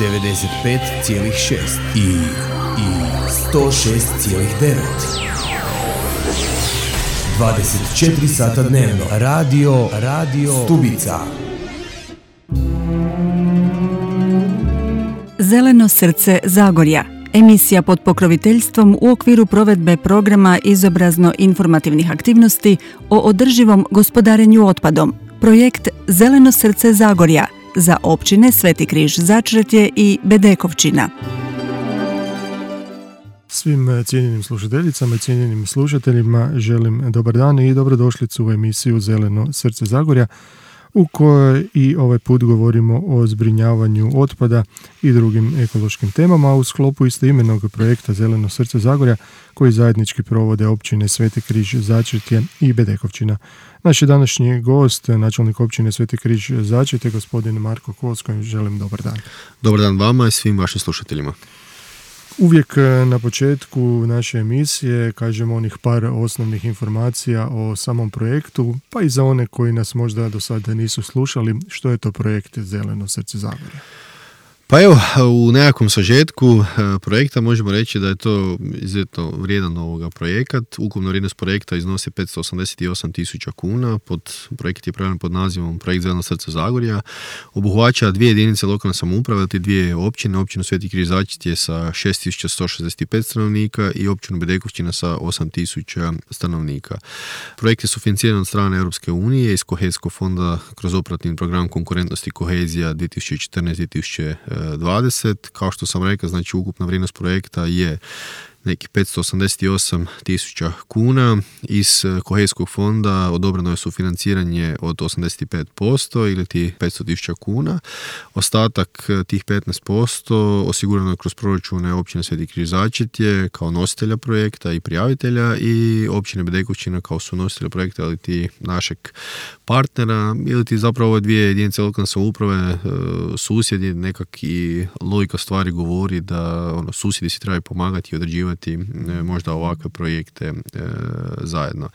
95,6 i 106,9. 24 sata dnevno. Radio Stubica. Zeleno srce Zagorja. Emisija pod pokroviteljstvom u okviru provedbe programa izobrazno-informativnih aktivnosti o održivom gospodarenju otpadom. Projekt Zeleno srce Zagorja za općine Sveti Križ Začretje i Bedekovčina. Svim cijenjenim slušateljicama i cijenjenim slušateljima želim dobar dan i dobrodošlicu u emisiju Zeleno srce Zagorja, u kojoj i ovaj put govorimo o zbrinjavanju otpada i drugim ekološkim temama u sklopu istoimenog projekta Zeleno srce Zagorja koji zajednički provode općine Sveti Križ Začretje i Bedekovčina. Naš je današnji gost, načelnik općine Sveti Križ Začretje, gospodin Marko Kos, kojim želim dobar dan. Dobar dan vama i svim vašim slušateljima. Uvijek na početku naše emisije kažemo onih par osnovnih informacija o samom projektu, pa i za one koji nas možda do sada nisu slušali, što je to projekt Zeleno srce Zagorja. Pa evo, u nekakvom sažetku projekta možemo reći da je to izuzetno vrijedan projekat. Ukupna vrijednost projekta iznosi 588.000 kuna. Projekt je pravljen pod nazivom Projekt Zeleno srce Zagorja. Obuhvaća dvije jedinice lokalne samouprave, te dvije općine. Općinu Sveti Križ Začretje sa 6.165 stanovnika i općinu Bedekovčina sa 8.000 stanovnika. Projekt je sufinanciran od strane Europske unije iz Kohezijskog fonda kroz operativni program konkurentnosti i kohezija 2014-2020. Kao što sam rekao, znači ukupna vrijednost projekta je neki 588.000 kuna. Iz kohezijskog fonda odobreno je sufinanciranje od 85% ili ti 500.000 kuna. Ostatak tih 15% osigurano je kroz proračune općine Sveti Križ Začretje kao nositelja projekta i prijavitelja i općine Bedekovčina kao sunositelja projekta ili ti našeg partnera ili ti zapravo ove dvije jedinice lokalne samouprave susjedi. Nekak i logika stvari govori da susjedi si trebaju pomagati i određivati možda ovakve projekte zajedno.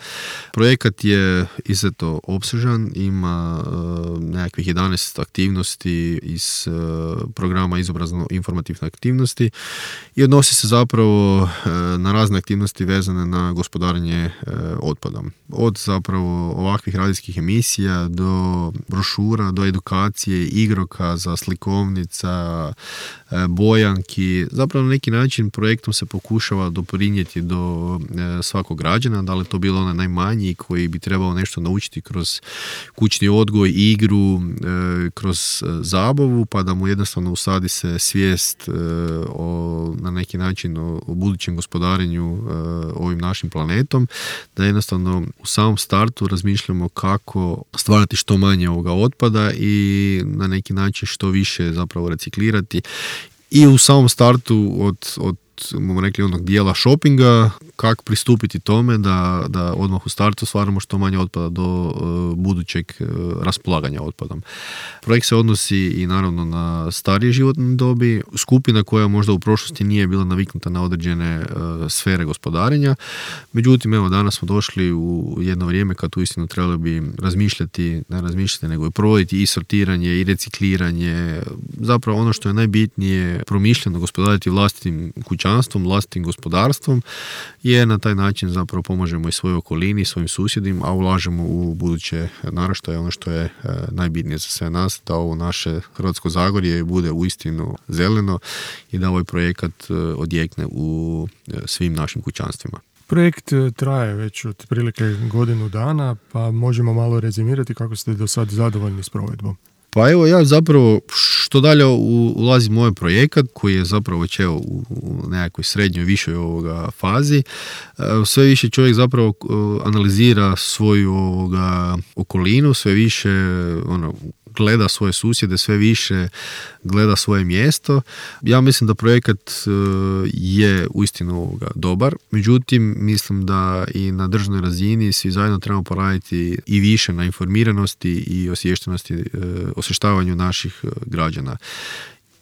Projekat je izuzetno opsežan, ima nekakvih 11 aktivnosti iz programa izobrazno-informativne aktivnosti i odnosi se zapravo na razne aktivnosti vezane na gospodarenje otpadom. Od zapravo ovakvih radijskih emisija do brošura, do edukacije, igrokaza, slikovnica, bojanki. Zapravo na neki način projektom se pokušava doprinijeti do svakog građana, da li to bilo onaj najmanji koji bi trebao nešto naučiti kroz kućni odgoj, igru, kroz zabavu, pa da mu jednostavno usadi se svijest na neki način o budućem gospodarenju ovim našim planetom, da jednostavno u samom startu razmišljamo kako stvarati što manje ovoga otpada i na neki način što više zapravo reciklirati. I u samom startu od bomo rekli onog dijela shoppinga, kako pristupiti tome da odmah u startu stvaramo što manje otpada do budućeg raspolaganja otpadom. Projekt se odnosi i naravno na starije životne dobi, skupina koja možda u prošlosti nije bila naviknuta na određene sfere gospodarenja. Međutim, evo danas smo došli u jedno vrijeme kad uistinu trebali bi ne razmišljati, nego i provoditi i sortiranje i recikliranje. Zapravo ono što je najbitnije, promišljeno gospodariti vlastitim kućanstvom, vlastitim gospodarstvom, jer na taj način zapravo pomažemo i svojoj okolini, svojim susjedima, a ulažemo u buduće naraštaje, ono što je najbitnije za sve nas, da ovo naše Hrvatsko Zagorje bude uistinu zeleno i da ovaj projekat odjekne u svim našim kućanstvima. Projekt traje već otprilike godinu dana, pa možemo malo rezimirati kako ste do sad zadovoljni s provedbom. Pa evo, ja zapravo što dalje ulazim u ovaj projekat koji je zapravo već u nekakvoj srednjoj, višoj fazi, sve više čovjek zapravo analizira svoju okolinu, sve više gleda svoje susjede, sve više gleda svoje mjesto. Ja mislim da projekat je uistinu dobar, međutim mislim da i na državnoj razini svi zajedno trebamo poraditi i više na informiranosti i osviještenosti, osvještavanju naših građana.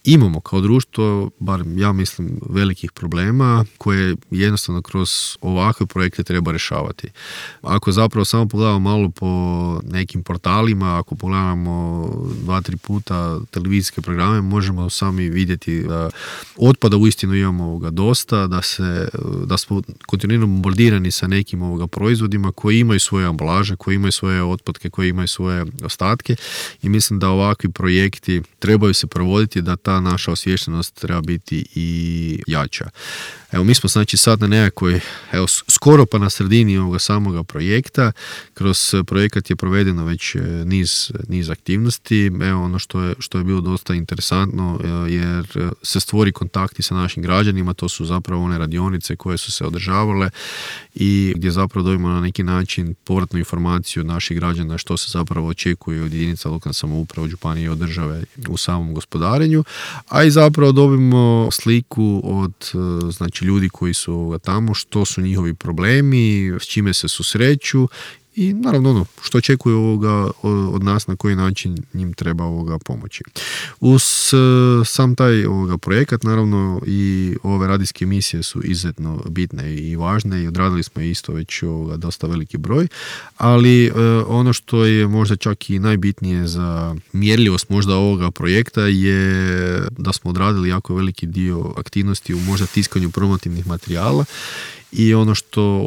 imamo kao društvo, bar ja mislim, velikih problema koje jednostavno kroz ovakve projekte treba rješavati. Ako zapravo samo pogledamo malo po nekim portalima, ako pogledamo 2-3 puta televizijske programe, možemo sami vidjeti da otpada uistinu imamo dosta, da smo kontinuirano bombardirani sa nekim proizvodima koji imaju svoje ambalaže, koji imaju svoje otpadke, koji imaju svoje ostatke i mislim da ovakvi projekti trebaju se provoditi, da ta naša osviještenost treba biti i jača. Evo, mi smo znači sad na nekakvoj, skoro pa na sredini ovoga samoga projekta. Kroz projekat je provedeno već niz aktivnosti. Evo, ono što je bilo dosta interesantno, jer se stvori kontakti sa našim građanima, to su zapravo one radionice koje su se održavale i gdje zapravo dobimo na neki način povratnu informaciju od naših građana što se zapravo očekuje od jedinica lokalne samouprave, od županije i od države u samom gospodarenju, a i zapravo dobimo sliku od znači ljudi koji su tamo, što su njihovi problemi, s čime se susreću i naravno što očekuju od nas, na koji način njim treba pomoći. Uz sam taj projekat, naravno i ove radijske emisije su izuzetno bitne i važne i odradili smo isto već dosta veliki broj, ali ono što je možda čak i najbitnije za mjerljivost možda ovoga projekta je da smo odradili jako veliki dio aktivnosti u možda tiskanju promotivnih materijala. I ono što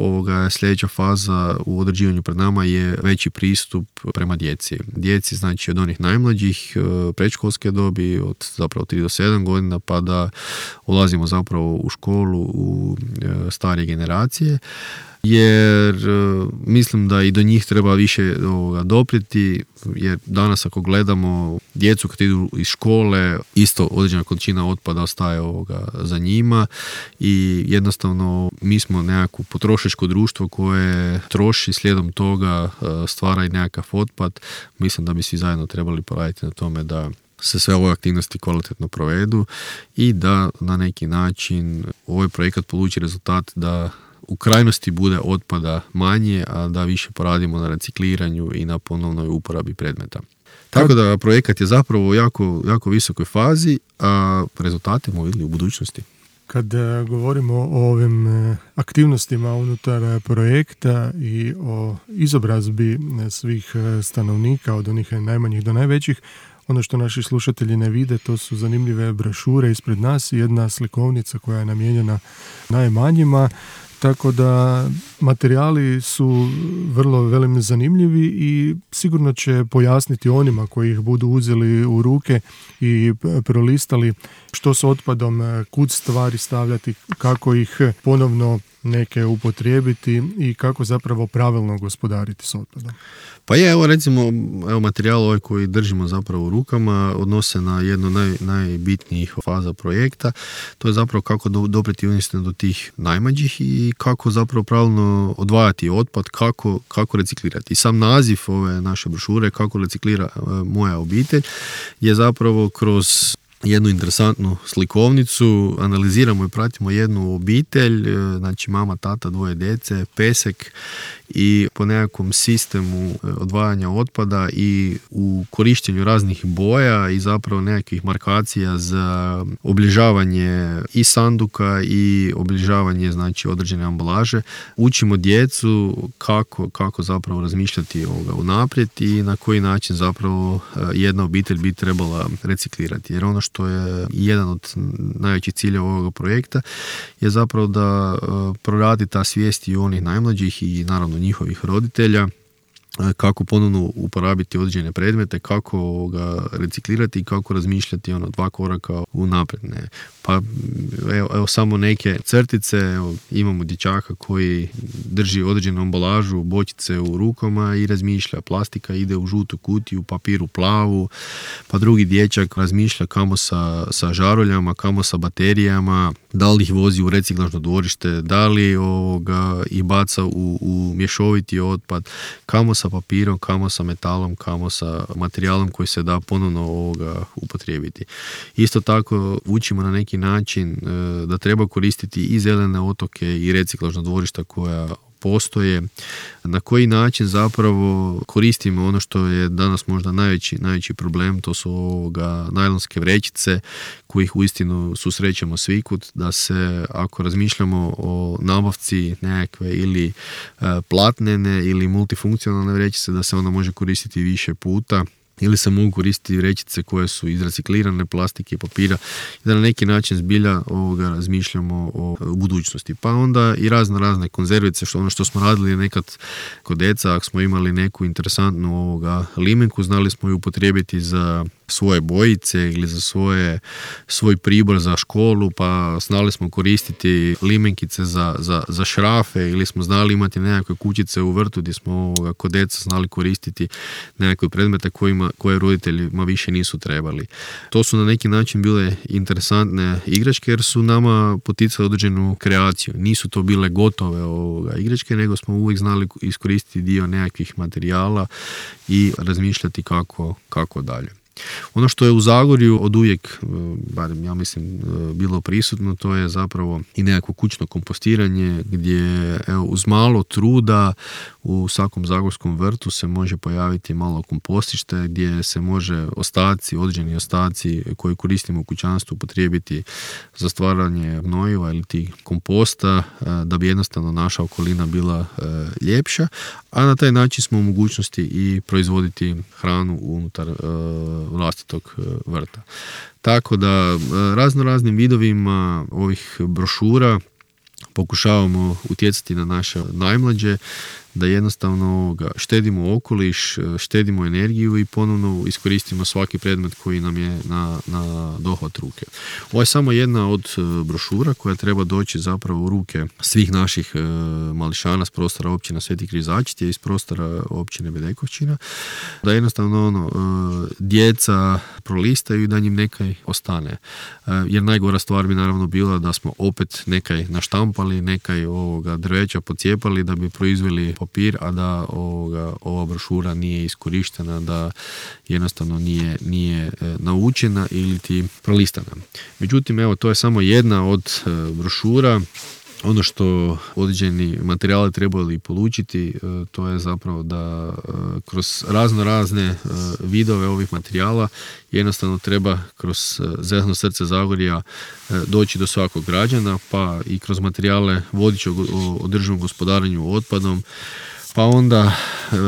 sljedeća faza u određivanju pred nama je veći pristup prema djeci. Djeci znači od onih najmlađih predškolske dobi, od zapravo 3 do 7 godina, pa da ulazimo zapravo u školu, u starije generacije. Jer mislim da i do njih treba više doprijeti, jer danas ako gledamo djecu kad idu iz škole, isto određena količina otpada ostaje za njima i jednostavno mi smo nekako potrošačko društvo koje troši, slijedom toga stvara i nekakav otpad. Mislim da bi svi zajedno trebali poraditi na tome da se sve ove aktivnosti kvalitetno provedu i da na neki način ovaj projekat poluči rezultat da u krajnosti bude otpada manje, a da više poradimo na recikliranju i na ponovnoj uporabi predmeta. Tako da projekat je zapravo u jako visokoj fazi, a rezultate smo vidjeli u budućnosti. Kad govorimo o ovim aktivnostima unutar projekta i o izobrazbi svih stanovnika od onih najmanjih do najvećih, ono što naši slušatelji ne vide, to su zanimljive brošure ispred nas i jedna slikovnica koja je namijenjena najmanjima. Tako da materijali su vrlo velim zanimljivi i sigurno će pojasniti onima koji ih budu uzeli u ruke i prolistali što s otpadom, kud stvari stavljati, kako ih ponovno neke upotrijebiti i kako zapravo pravilno gospodariti s otpadom. Pa je, recimo, materijal ovaj koji držimo zapravo u rukama odnose na jednu najbitnijih faza projekta. To je zapravo kako doprijeti uistinu do tih najmlađih i kako zapravo pravilno odvajati otpad, kako reciklirati. I sam naziv ove naše brošure, kako reciklira moja obitelj, je zapravo kroz jednu interesantnu slikovnicu, analiziramo i pratimo jednu obitelj, znači mama, tata, 2 djece, pesek i po nekakvom sistemu odvajanja otpada i u korištenju raznih boja i zapravo nekakvih markacija za obilježavanje i sanduka i obilježavanje znači određene ambalaže. Učimo djecu kako zapravo razmišljati unaprijed i na koji način zapravo jedna obitelj bi trebala reciklirati. Jer ono što je jedan od najvećih ciljeva ovoga projekta je zapravo da proradi ta svijest i onih najmlađih i naravno njihovih roditelja kako ponovno uporabiti određene predmete, kako ga reciklirati i kako razmišljati 2 koraka unaprijed. Pa evo samo neke crtice, imamo dječaka koji drži određenu ambalažu, bočice u rukama i razmišlja, plastika ide u žutu kutiju, papiru plavu, pa drugi dječak razmišlja kamo sa žaruljama, kamo sa baterijama, da li ih vozi u reciklažno dvorište, da li ih baca u mješoviti otpad, kamo sa papirom, kamo sa metalom, kamo sa materijalom koji se da ponovno upotrijebiti. Isto tako učimo na neki način da treba koristiti i zelene otoke i reciklažna dvorišta koja postoje, na koji način zapravo koristimo ono što je danas možda najveći problem, to su najlonske vrećice kojih uistinu susrećemo svikud, da se ako razmišljamo o nabavci nekakve ili platnene ili multifunkcionalne vrećice, da se ona može koristiti više puta, ili se mogu koristiti vrećice koje su iz reciklirane plastike i papira, i da na neki način zbilja razmišljamo o budućnosti. Pa onda i razne konzervice, ono što smo radili nekad kod deca, ako smo imali neku interesantnu limenku, znali smo ju upotrijebiti za svoje bojice ili za svoj pribor za školu, pa znali smo koristiti limenkice za šrafe, ili smo znali imati nekakve kućice u vrtu gdje smo kod deca znali koristiti nekakve predmete koje roditeljima više nisu trebali. To su na neki način bile interesantne igračke jer su nama poticali određenu kreaciju. Nisu to bile gotove igračke, nego smo uvijek znali iskoristiti dio nekakvih materijala i razmišljati kako dalje. Ono što je u Zagorju od uvijek, barem ja mislim, bilo prisutno, to je zapravo i nekako kućno kompostiranje gdje uz malo truda u svakom zagorskom vrtu se može pojaviti malo kompostište gdje se može određeni ostaci koji koristimo u kućanstvu upotrijebiti za stvaranje gnojiva ili ti komposta da bi jednostavno naša okolina bila ljepša, a na taj način smo u mogućnosti i proizvoditi hranu unutar vlastitog vrta. Tako da raznim vidovima ovih brošura pokušavamo utjecati na naše najmlađe da jednostavno štedimo okoliš, štedimo energiju i ponovno iskoristimo svaki predmet koji nam je na dohvat ruke. Ovo je samo jedna od brošura koja treba doći zapravo u ruke svih naših mališana s prostora općina Sveti Križačiti i iz prostora općine Bedekovčina, da jednostavno djeca prolistaju i da njim nekaj ostane. Jer najgora stvar bi naravno bila da smo opet nekaj naštampali, nekaj drveća pocijepali da bi proizveli papir, a da ova brošura nije iskorištena, da jednostavno nije naučena ili ti prolistana. Međutim, evo, to je samo jedna od brošura. Ono što određeni materijali trebali polučiti, to je zapravo da kroz razne vidove ovih materijala jednostavno treba kroz Zeleno srce Zagorja doći do svakog građana, pa i kroz materijale vodič o održivom gospodarenju otpadom, pa onda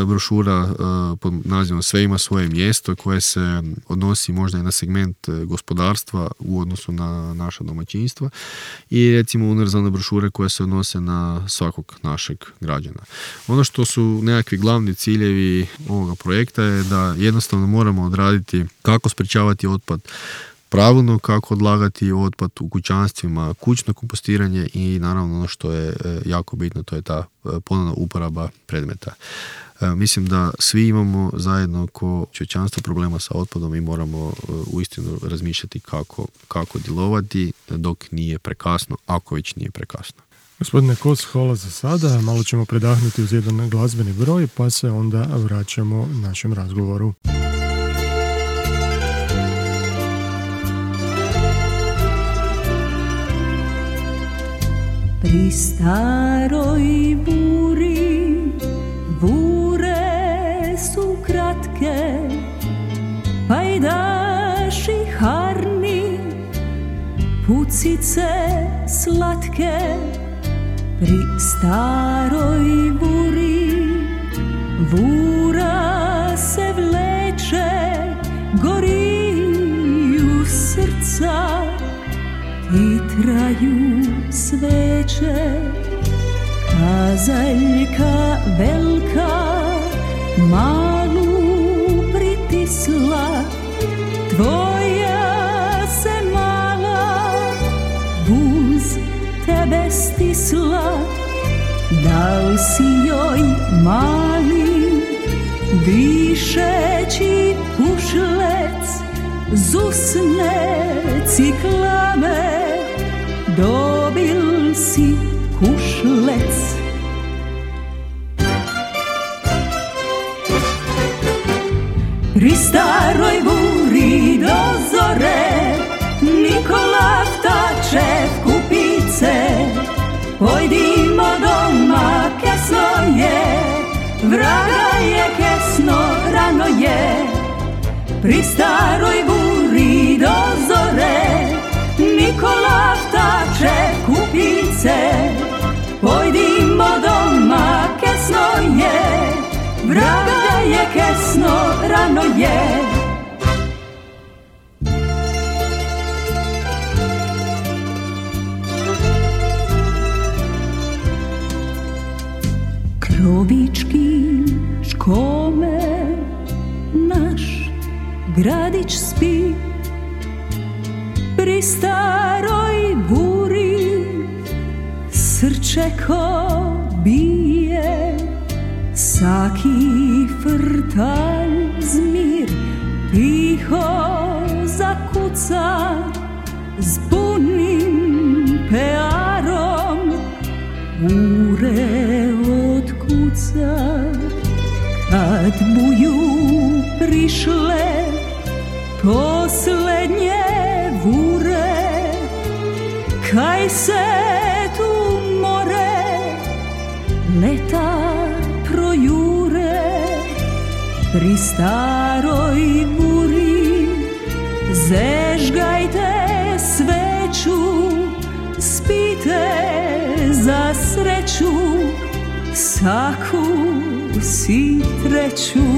brošura pod nazivom Sve ima svoje mjesto koje se odnosi možda i na segment gospodarstva u odnosu na naša domaćinstva i recimo univerzalne brošure koje se odnose na svakog našeg građana. Ono što su nekakvi glavni ciljevi ovoga projekta je da jednostavno moramo odraditi kako sprječavati otpad, pravilno kako odlagati otpad u kućanstvima, kućno kompostiranje i naravno ono što je jako bitno, to je ta ponovna uporaba predmeta. Mislim da svi imamo zajedno ko čovječanstvo problema sa otpadom i moramo uistinu razmišljati kako djelovati dok nije prekasno, ako već nije prekasno. Gospodine Kos, hvala za sada. Malo ćemo predahnuti uz jedan glazbeni broj pa se onda vraćamo našem razgovoru. Pri staroj buri, bure su kratke, pajdaši harni, pucice slatke. Pri staroj buri, bura se vleče, goriju srca i traju sveće. Kazaljka velika malu pritisla, tvoja se mala uz tebe stisla. Dal si joj mali dišeći pušlec, zusne ciklame, dobil si kušlec. Pri staroj buri do zore, Nikola vtače v kupice, pojdimo doma ke pri staroj buri do zore, Nikola vtače kupice, pojdimo doma, kesno je, vraga je kesno, rano je. Krovički škome, naš gradić spi, pri staroj buri srce ko bije, saki frtalj zmir tiho zakuca s punim pearom, ure otkuca. Kad buju prišle poslednje vure, kaj se tu more leta projure, pri staroj buri zežgajte sveću, spite za sreću, saku si treću.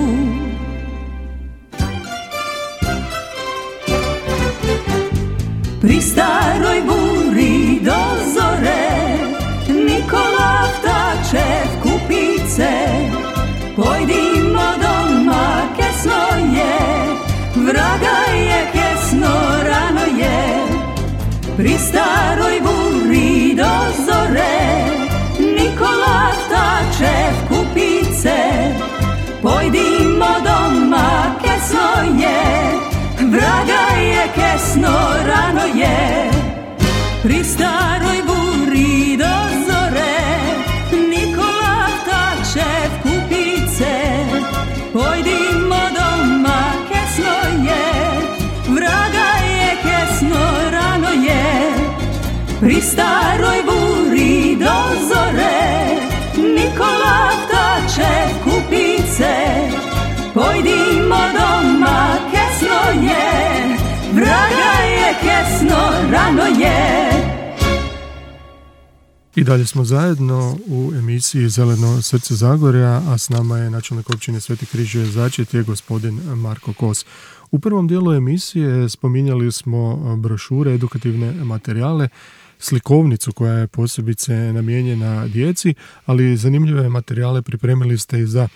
Pri staroj buri do zore, Nikola vtače kupice, pojdimo doma, kesno je, vraga je kesno, rano je. Pri staroj buri do zore, Nikola vtače kupice, pojdimo doma, kesno je, vraga je kesno, rano je. Pri staroj buri do zore, Nikola vtače kupice, pojdimo doma, kesno je, vraga je kesno, rano je. Pri staroj buri do zore, Nikola vtače kupice, pojdimo doma, kesno je, vraga je kesno, rano je. I dalje smo zajedno u emisiji Zeleno srce Zagorja, a s nama je načelnik općine Sveti Križuje Začetje, gospodin Marko Kos. U prvom dijelu emisije spominjali smo brošure, edukativne materijale, slikovnicu koja je posebice namijenjena djeci, ali zanimljive materijale pripremili ste i za,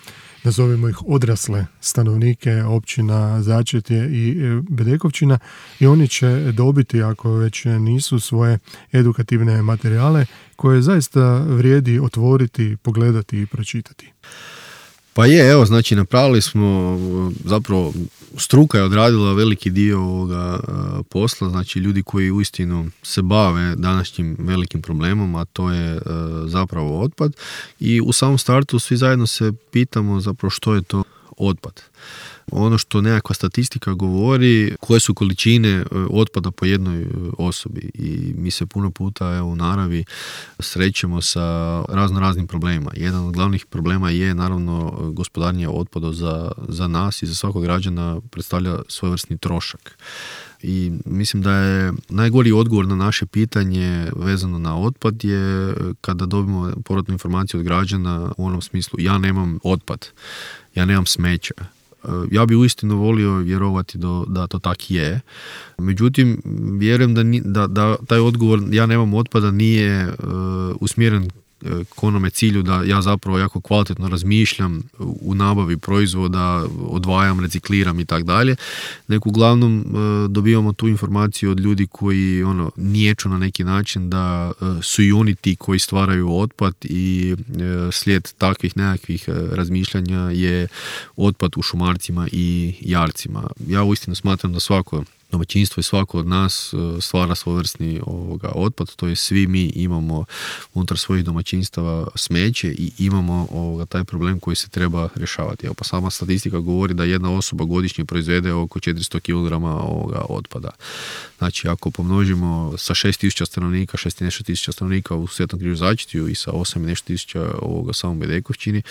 nazovimo ih, odrasle stanovnike općina Začetje i Bedekovčina, i oni će dobiti, ako već nisu, svoje edukativne materijale koje zaista vrijedi otvoriti, pogledati i pročitati. Pa je, evo, znači napravili smo, zapravo struka je odradila veliki dio ovoga posla, znači ljudi koji uistinu se bave današnjim velikim problemom, a to je zapravo otpad, i u samom startu svi zajedno se pitamo zapravo što je to otpad. Ono što nekakva statistika govori, koje su količine otpada po jednoj osobi, i mi se puno puta u naravi srećemo sa raznim problemima. Jedan od glavnih problema je naravno gospodarenje otpadom za nas i za svakog građana predstavlja svojevrsni trošak. I mislim da je najgori odgovor na naše pitanje vezano na otpad je kada dobimo povratnu informaciju od građana u onom smislu: ja nemam otpad, ja nemam smeća. Ja bi uistinu volio vjerovati da to tak je. Međutim, vjerujem da taj odgovor ja nemam otpada nije usmjeren k onome cilju da ja zapravo jako kvalitetno razmišljam u nabavi proizvoda, odvajam, recikliram i tak dalje, nego uglavnom dobivamo tu informaciju od ljudi koji niječu na neki način da su i oni ti koji stvaraju otpad, i slijed takvih nekakvih razmišljanja je otpad u šumarcima i jarcima. Ja uistinu smatram da svako domaćinstvo i svako od nas stvara svojevrsni otpad, to je svi mi imamo unutar svojih domaćinstava smeće i imamo taj problem koji se treba rješavati. Evo, pa sama statistika govori da jedna osoba godišnje proizvede oko 400 kg otpada. Znači, ako pomnožimo sa 6.000 stanovnika, 6 i nešto tisuća stanovnika u Svetom Križu Začetju i sa 8 i nešto tisuća samom Bedekovčini,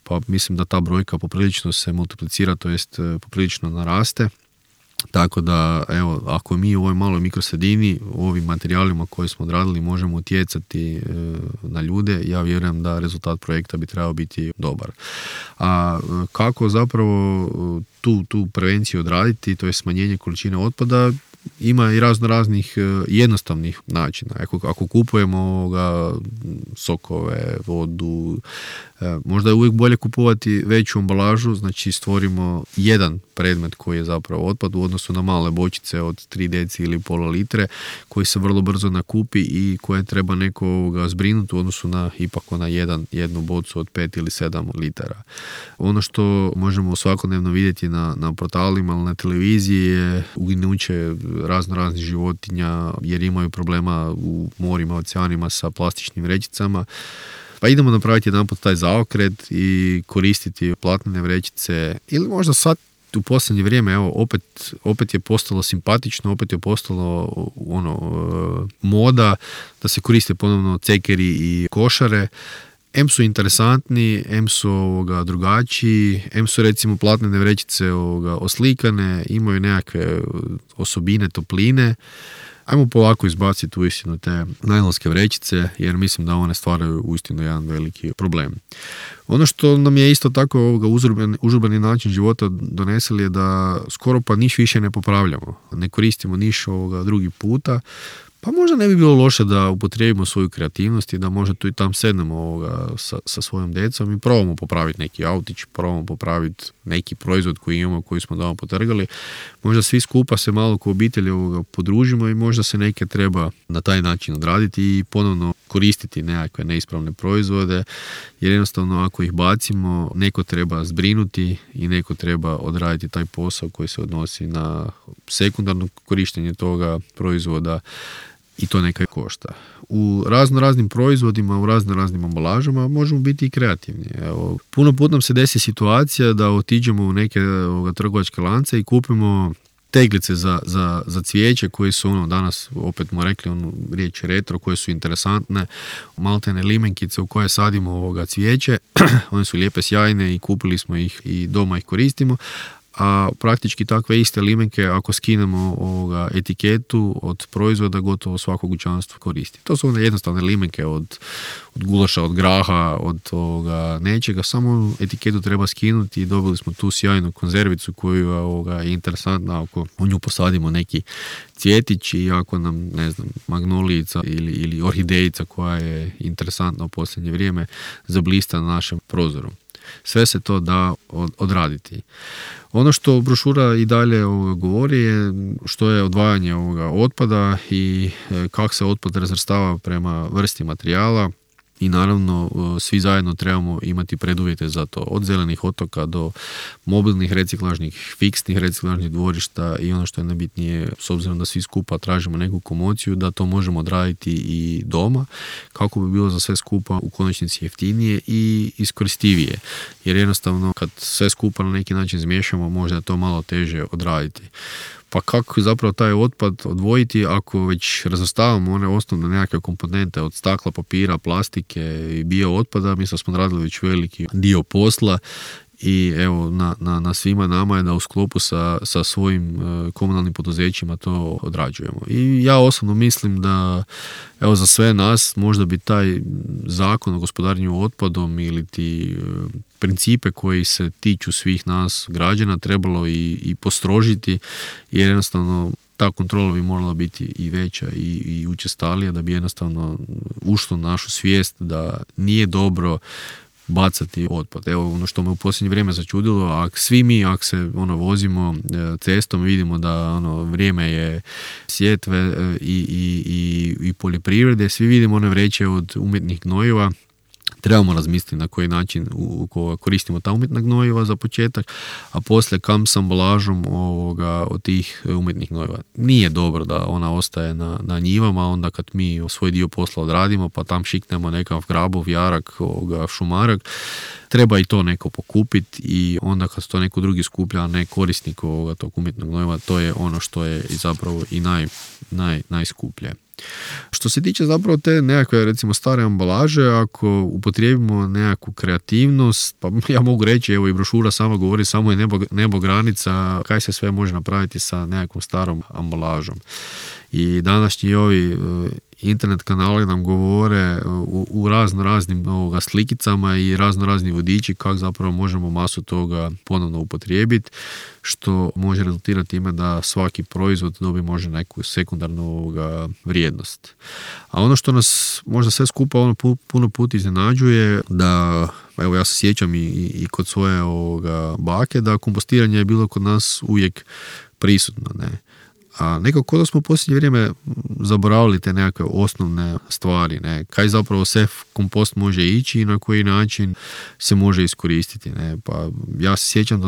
pa mislim da ta brojka poprilično se multiplicira, to jest poprilično naraste. Tako da, evo, ako mi u ovoj maloj mikrosredini, u ovim materijalima koje smo odradili, možemo utjecati na ljude, ja vjerujem da rezultat projekta bi trebao biti dobar. A kako zapravo tu prevenciju odraditi, to je smanjenje količine otpada, ima i raznih jednostavnih načina. Ako kupujemo sokove, vodu, možda je uvijek bolje kupovati veću ambalažu, znači stvorimo jedan predmet koji je zapravo otpad u odnosu na male bočice od 3 deci ili pola litre koji se vrlo brzo nakupi i koje treba neko zbrinuti u odnosu na ipak na jednu bocu od 5 ili 7 litara. Ono što možemo svakodnevno vidjeti na portalima ili na televiziji je uginuće raznih životinja jer imaju problema u morima, oceanima sa plastičnim vrećicama. Pa idemo napraviti jedanput taj zaokret i koristiti platnene vrećice ili možda sad u posljednje vrijeme, evo, opet je postalo simpatično, opet je postalo moda da se koriste ponovno cekeri i košare. M su interesantni, M su drugačiji, M su recimo platnene vrećice oslikane, imaju nekakve osobine topline. Ajmo polako izbaciti uistinu te najlonske vrećice, jer mislim da one stvaraju uistinu jedan veliki problem. Ono što nam je isto tako užurbani način života doneseli je da skoro pa niš više ne popravljamo. Ne koristimo niš drugi puta. Pa možda ne bi bilo loše da upotrijebimo svoju kreativnost i da možda tu i tam sednemo sa svojom djecom i probamo popraviti neki autić, probamo popraviti neki proizvod koji imamo, koji smo doma potrgali. Možda svi skupa se malo ko obitelji podružimo i možda se neke treba na taj način odraditi i ponovno koristiti nekakve neispravne proizvode, jer jednostavno ako ih bacimo, neko treba zbrinuti i neko treba odraditi taj posao koji se odnosi na sekundarno korištenje toga proizvoda i to neka košta. U raznim proizvodima, u raznim ambalažama možemo biti i kreativni. Evo, puno put nam se desi situacija da otiđemo u neke trgovačke lance i kupimo teglice za cvijeće koje su danas, opet smo rekli riječ retro, koje su interesantne, maltene limenkice u koje sadimo cvijeće, one su lijepe, sjajne i kupili smo ih i doma ih koristimo, a praktički takve iste limenke ako skinemo etiketu od proizvoda gotovo svako kućanstvo koristi. To su one jednostavne limenke od gulaša, od graha, od nečega, samo etiketu treba skinuti i dobili smo tu sjajnu konzervicu koju je interesantna ako u nju posadimo neki cvjetić i ako nam, ne znam, magnolijica ili orhidejica koja je interesantna u posljednje vrijeme zablista na našem prozoru. Sve se to da odraditi. Ono što brošura i dalje govori je što je odvajanje otpada i kako se otpad razvrstava prema vrsti materijala i naravno svi zajedno trebamo imati preduvjete za to. Od zelenih otoka do mobilnih reciklažnih, fiksnih reciklažnih dvorišta i ono što je najbitnije, s obzirom da svi skupa tražimo neku komociju, da to možemo odraditi i doma kako bi bilo za sve skupa u konačnici jeftinije i iskoristivije. Jer jednostavno kad sve skupa na neki način zmiješamo možda je to malo teže odraditi. Pa kako zapravo taj otpad odvojiti ako već razvrstavamo one osnovne nekakve komponente od stakla, papira, plastike i bio otpada, mi smo radili već veliki dio posla i evo na svima nama je da u sklopu sa svojim komunalnim poduzećima to odrađujemo. I ja osobno mislim da evo za sve nas možda bi taj zakon o gospodarenju otpadom ili ti principe koji se tiču svih nas građana trebalo i postrožiti, jer jednostavno ta kontrola bi morala biti i veća i učestalija da bi jednostavno ušlo našu svijest da nije dobro bacati otpad. Evo ono što me u posljednje vrijeme začudilo, ako se vozimo cestom, vidimo da vrijeme je sjetve i poljoprivrede, svi vidimo one vreće od umjetnih gnojiva. Trebamo razmisliti na koji način koristimo ta umjetna gnojiva za početak, a poslije kam s ambalažom od tih umjetnih gnojiva. Nije dobro da ona ostaje na njivama, onda kad mi svoj dio posla odradimo pa tam šiknemo nekav grabov, jarak, šumarak. treba i to neko pokupiti i onda kad to neko drugi skuplja, a ne korisnik tog umjetnog gnojiva, to je ono što je zapravo i najskuplje. Što se tiče zapravo te nekakve, recimo, stare ambalaže, ako upotrijebimo nekakvu kreativnost, pa ja mogu reći, evo i brošura sama govori, samo je nebo granica, kaj se sve može napraviti sa nekakvom starom ambalažom. I današnji ovi internet kanali nam govore u raznim slikicama i razni vodiči kako zapravo možemo masu toga ponovno upotrijebiti, što može rezultirati time da svaki proizvod dobi možda neku sekundarnu vrijednost. A ono što nas možda sve skupa puno puta iznenađuje, da evo ja se sjećam i kod svoje bake, da kompostiranje je bilo kod nas uvijek prisutno, ne. A nekako da smo u posljednje vrijeme zaboravili te nekakve osnovne stvari, ne, kaj zapravo sve kompost može ići i na koji način se može iskoristiti, ne. Pa ja se sjećam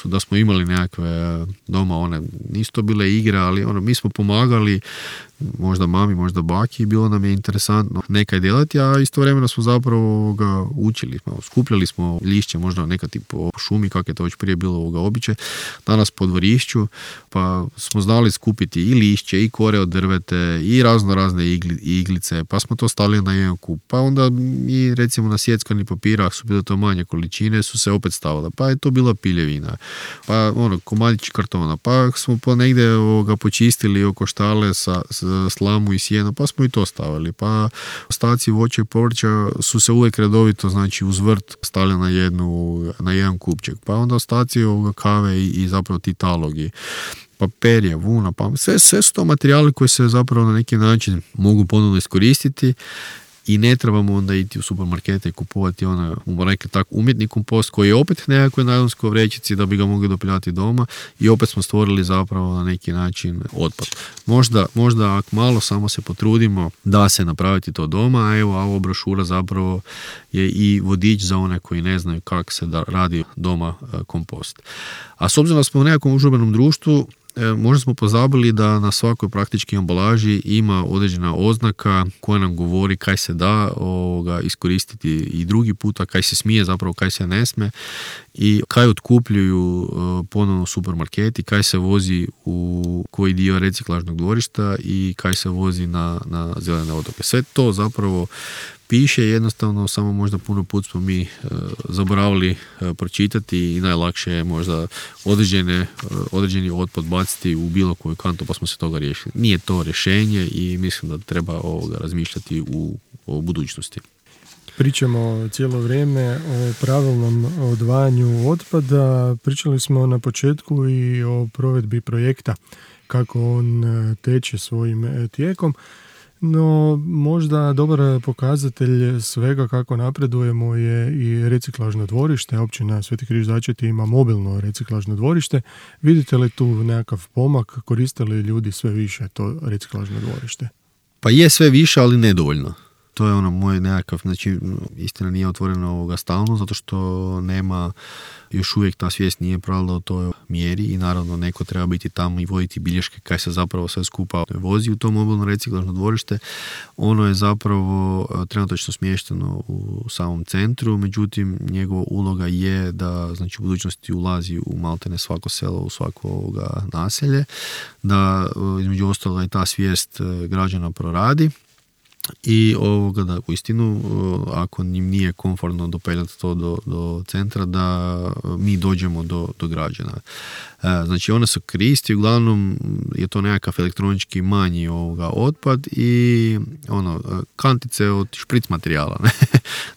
da smo imali nekakve doma, one nisu to bile igre, ali mi smo pomagali možda mami, možda baki, bilo nam je interesantno nekaj delati, a istovremeno smo zapravo učili. Skupljali smo lišće, možda neka tip po šumi, kako je to već prije bilo običaj, danas po dvorišću, pa smo znali skupiti i lišće, i kore od drvete, i razne iglice, pa smo to stavili na jedan kup. Pa onda i recimo na sjeckani papirah su bile to manje količine, su se opet stavile, pa je to bila piljevina, pa komadići kartona, pa smo ponegdje počistili oko štale sa slamu i sjeno, pa smo i to stavili. Pa ostaci voća i povrća su se uvijek redovito, znači uz vrt stavili na jedan kupček. Pa onda ostaci kave i zapravo ti talogi. Pa perje, vuna, pa sve su to materijali koji se zapravo na neki način mogu ponovno iskoristiti i ne trebamo onda iti u supermarkete i kupovati umjetni kompost koji je opet nekakve najlonskoj vrećici da bi ga mogli dopeljati doma i opet smo stvorili zapravo na neki način otpad. Možda ako malo samo se potrudimo da se napraviti to doma, a evo ova brošura zapravo je i vodič za one koji ne znaju kako se radi doma kompost. A s obzirom da smo u nekakvom užurbenom društvu, možda smo pozabili da na svakoj praktički ambalaži ima određena oznaka koja nam govori kaj se da iskoristiti i drugi puta, kaj se smije, zapravo kaj se ne smije i kaj otkupljuju ponovno supermarketi, kaj se vozi u koji dio reciklažnog dvorišta i kaj se vozi na zelene otoke. Sve to zapravo piše, jednostavno samo možda puno put smo mi zaboravili pročitati i najlakše je možda određeni otpad baciti u bilo koju kantu pa smo se toga riješili. Nije to rješenje i mislim da treba razmišljati o budućnosti. Pričamo cijelo vrijeme o pravilnom odvajanju otpada. Pričali smo na početku i o provedbi projekta, kako on teče svojim tijekom. No, možda dobar pokazatelj svega kako napredujemo je i reciklažno dvorište. Općina Sveti Križ Začeti ima mobilno reciklažno dvorište. Vidite li tu nekakav pomak? Koriste li ljudi sve više to reciklažno dvorište? Pa je sve više, ali nedovoljno. To je moj nekakav, znači istina nije otvoreno stalno, zato što nema, još uvijek ta svijest nije pravila o toj mjeri i naravno neko treba biti tamo i voditi bilješke kaj se zapravo sve skupa vozi u to mobilno reciklažno dvorište. Ono je zapravo trenutačno smješteno u samom centru, međutim njegova uloga je da znači u budućnosti ulazi u maltene svako selo, u svako naselje, da između ostaloga i ta svijest građana proradi. I da uistinu ako njim nije komfortno dopeljati to do centra, da mi dođemo do građana. Znači one su koristi, uglavnom je to nekakav elektronički manji otpad i kantice od špric materijala, ne?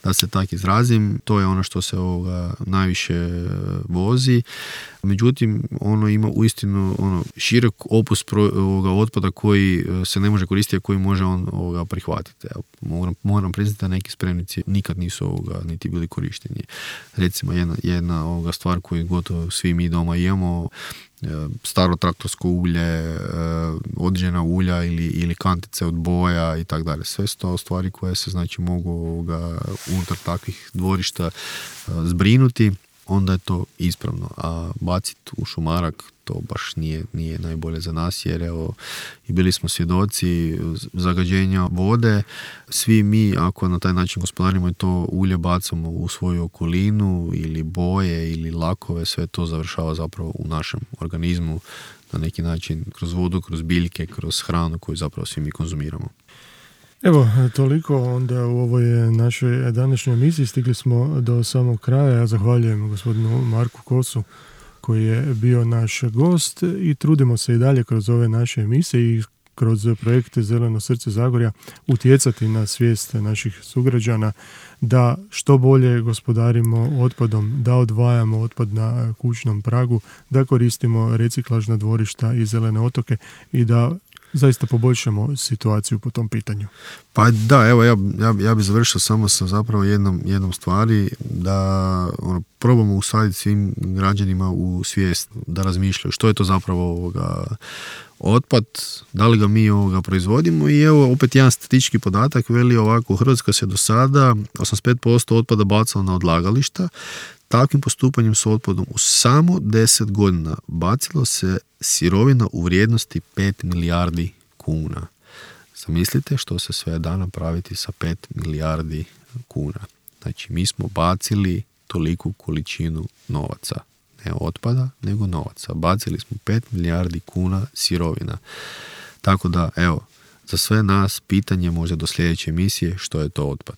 Da se tako izrazim, to je ono što se najviše vozi. Međutim, ono ima uistinu širok opus otpada koji se ne može koristiti, a koji može on prihvatiti. Moram priznati da neki spremnici nikad nisu niti bili korišteni. Recimo jedna stvar koju gotovo svi mi doma imamo, staro traktorsko ulje, određena ulja ili kantice od boja i tako dalje. Sve su to stvari koje se znači mogu unutar takvih dvorišta zbrinuti onda je to ispravno. A baciti u šumarak to baš nije najbolje za nas, jer evo, i bili smo svjedoci zagađenja vode. Svi mi, ako na taj način gospodarimo i to ulje bacamo u svoju okolinu ili boje ili lakove, sve to završava zapravo u našem organizmu na neki način, kroz vodu, kroz biljke, kroz hranu koju zapravo svi mi konzumiramo. Evo, toliko onda u ovoj našoj današnjoj emisiji. Stigli smo do samog kraja. Ja zahvaljujem gospodinu Marku Kosu koji je bio naš gost i trudimo se i dalje kroz ove naše emisije i kroz projekte Zeleno srce Zagorja utjecati na svijest naših sugrađana da što bolje gospodarimo otpadom, da odvajamo otpad na kućnom pragu, da koristimo reciklažna dvorišta i zelene otoke i da zaista poboljšamo situaciju po tom pitanju. Pa da, evo ja bih završio samo sa zapravo jednom stvari, da probamo usaditi svim građanima u svijest, da razmišljaju što je to zapravo otpad, da li ga mi proizvodimo. I evo opet jedan statistički podatak veli ovako: u Hrvatskoj se do sada 85% otpada bacalo na odlagališta. Takvim postupanjem s otpadom u samo 10 godina bacilo se sirovina u vrijednosti 5 milijardi kuna. Zamislite što se sve da napraviti sa 5 milijardi kuna. Znači, mi smo bacili toliku količinu novaca. Ne otpada, nego novaca. Bacili smo 5 milijardi kuna sirovina. Tako da, evo, za sve nas pitanje možda do sljedeće emisije, što je to otpad.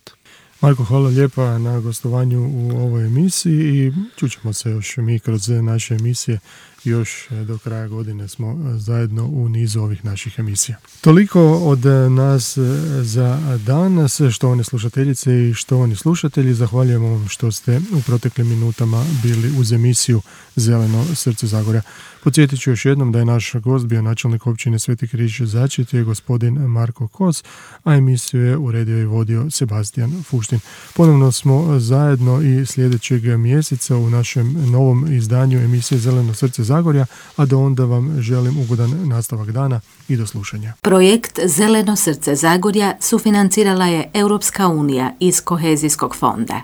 Marko, hvala lijepa na gostovanju u ovoj emisiji i čućemo se još mi kroz naše emisije. Još do kraja godine smo zajedno u nizu ovih naših emisija. Toliko od nas za danas, štovane slušateljice i štovani slušatelji. Zahvaljujemo vam što ste u proteklim minutama bili uz emisiju Zeleno srce Zagorja. Podsjetit ću još jednom da je naš gost bio načelnik općine Sveti Križ Začretje, gospodin Marko Kos, a emisiju je uredio i vodio Sebastian Fuštin. Ponovno smo zajedno i sljedećeg mjeseca u našem novom izdanju emisije Zeleno srce Zagorja, a do onda vam želim ugodan nastavak dana i do slušanja. Projekt Zeleno srce Zagorja sufinancirala je Europska unija iz Kohezijskog fonda.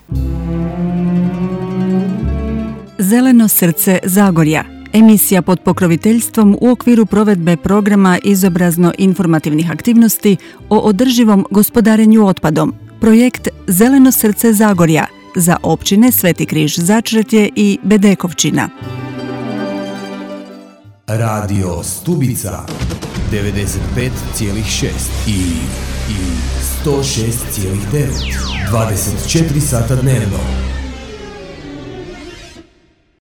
Zeleno srce Zagorja. Emisija pod pokroviteljstvom u okviru provedbe programa izobrazno-informativnih aktivnosti o održivom gospodarenju otpadom. Projekt Zeleno srce Zagorja za općine Sveti Križ Začretje i Bedekovčina. Radio Stubica 95,6 i 106,9 24 sata dnevno.